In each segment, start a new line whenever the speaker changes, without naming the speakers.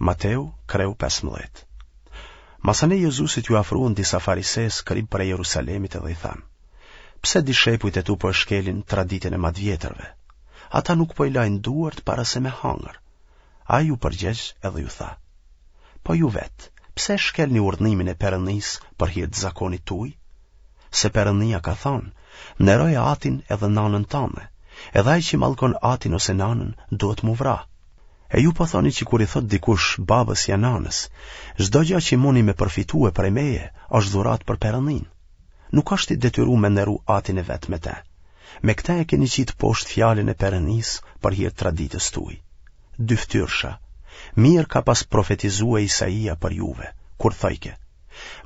Mateu, kreu 15. Masanej Jezusit iu afruan disa farise e skribë prej Jerusalemit edhe i thanë: Pse dishepujt e tu po e shkelin traditën e ma të vjetërve? Ata nuk po i lajnë duart para se me hangër. Ai u përgjegj edhe ju tha: Po ju vetë, pse e shkelni urdhnimin e Perëndisë për hir të zakonit tuaj? Se Perëndia ka thënë, nderoje atin edhe nanën tënde, edhe ai që mallkon atin ose nanën duhet m'u vra. E ju po thoni që kur i thotë dikush babës ja nanës, çdo gjë që muni me përfitue prej meje është dhuratë për Perëndinë. Nuk është i detyru me nderu atin e vet me te. Me këtë e keni qitë poshtë fjalën e Perëndisë për hir të traditës tuaj. Dyftyrsha. Mirë ka pas profetizue Isaia për juve, kur thojke: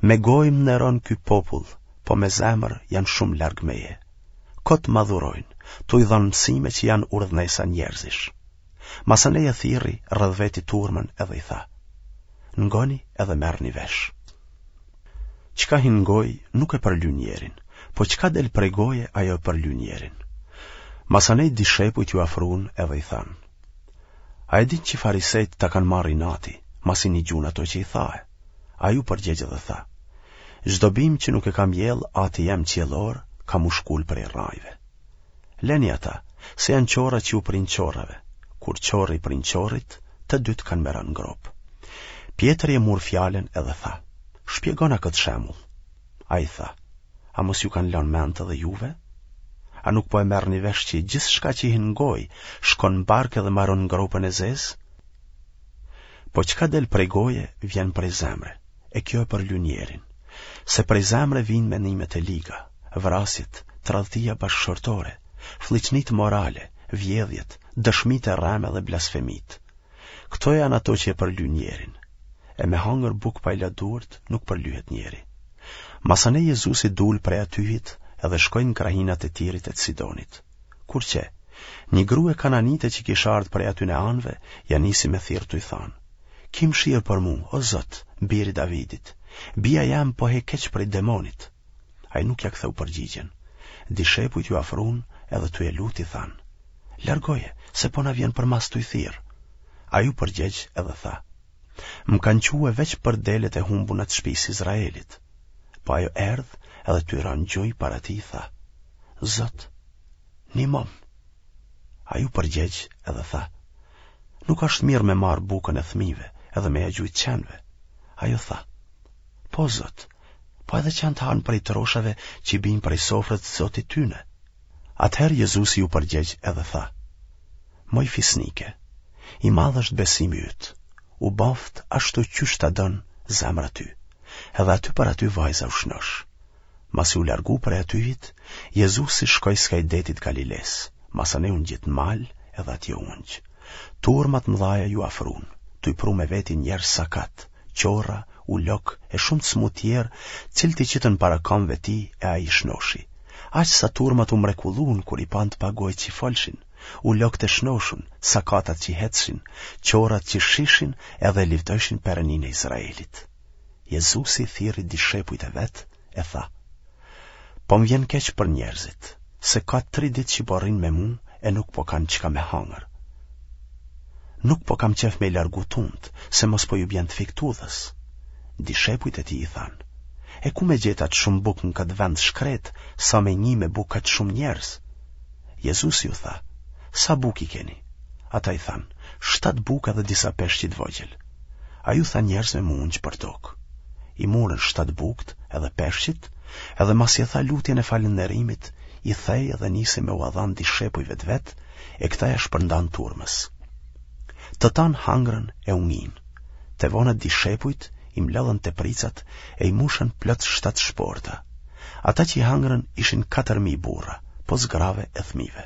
Me gojë më nderon ky popull, po me zemër janë shumë larg meje. Kot më adhurojnë, tuj dhënë mësime që janë urdhnesa njerëzish. Masanej e thirri rreth veti turmën edhe i tha: Ngoni edhe merrni vesh. Çka hin n'gojë nuk e përlyn njerin, po çka del prej goje ajo e përlyn njerin. Masanej dishepujt iu afrun edhe i thanë: A e din që farisejtë ta kanë marrë inati, masi nigjun ato që i thae? Ai u përgjegj dhe tha: Çdo bimë që nuk e ka mbjellë ati jem qiellor, ka m'u shkul prej rrajve. Leni ata, se janë qorra që u prijnë qorrave. Kur qorri i prin qorrit, të dytë kanë me ra në gropë. Pjetri e mur fjalën edhe tha: Shpjegona këtë shembull. Ai tha: A mos ju kanë lënë mendtë edhe juve? A nuk po e merrni vesh që gjithçka që hin në gojë shkon në bark edhe maron në gropën e zezë? Po çka del prej goje, vjen prej zemre, e kjo e përlyn njerin. Se prej zemre vijnë mendimet e liga, vrasjet, tradhtia bashkëshortore, flliqnitë morale, vjedhjet, dëshmitë e rreme dhe blasfemitë. Këto janë ato që e përlyjnë njerin. E me hangër bukë pa i la duart, nuk përlyhet njeri. Masanej Jezusi dul prej atyhit edhe shkoi në krahinat e Tirit e të Sidonit. Kur qe, një grue kananite që kish ardhë prej atyne anëve, ia nisi me thirrë tuj thanë, Ki mëshirë për mu, o Zot, bir i Davidit, bija jem po hek keq prej demonit. Ai nuk ia ktheu përgjigjen. Dishepujt iu afrun edhe tuj e lut i thanë, Largoje, se po na vjen përmas tuj thirrë. Ai u përgjegj edhe tha, Më kanë çue veç për delet e humbuna të shpisë Izraelit. Po ajo erdh edhe tuj ra në gjunjë para tij tha, Zot, nimom. Ai u përgjegj edhe tha, Nuk është mirë me marrë bukën e thmive edhe me ja gjujt qenve. Ajo tha, Po, Zot, po edhe qentë hanë prej troshave që i bijnë prej sofrës të Zotit tyne. Atëherë Jezusi iu përgjegj edhe tha, Moj fisnike, i madh është besimi yt, u baftë ashtu qysh ta don zemra ty. Edhe aty për aty vajza u shnosh. Masi u largu prej atyhit, Jezusi shkoi skaj detit Galilesë, masanej u ngjit në mal edhe atje u ungj. Turma të mëdhaja iu afrun, tuj pru me veti njerëz sakat, qorra, ulokë e shumë të smutë tjerë, cilët i qitën para kamëve tij e ai i shnoshi. Aq sa turmat u mrekullun kur i panë të pagojët që folshin, ulokët e shnoshun, sakatat që hecshin, qorrat që shishin edhe livdojshin Perëninë e Izraelit. Jezusi thirri dishepujt e vet e tha: Po më vjen keq për njerëzit, se ka tri ditë që po rrinë me mu e nuk po kanë çka me hangër. Nuk po kam qef me i largu tunt, se mos po ju bjen të fikt udhës. Dishepujt e tij i thanë, e ku me gjet aq shumë bukë në këtë vend shkretë, sa me nji me bukë kaq shumë njerëz? Jezusi u tha, sa bukë i keni? Ata i thanë, shtatë bukë edhe disa peshqi të vogjël. Ai u tha njerëzve m'u ungj për tokë. I murën shtatë bukët edhe peshqit, edhe masi e tha lutjen e falënderimit, i theu edhe nisi me ua dhanë dishepujve të vet, e këta ia shpërndanë turmës. Të tanë hangrën e u nginë. Te vonat dishepujt i mblodhën tepricat e i mushën plot shtatë shporta. Ata që i hangrën ishin 4000 burra, pos grave e thmive.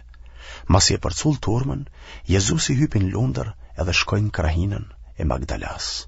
Masi e përcoll turmën, Jezusi hypi në lundër edhe shkoi në krahinën e Magdalasë.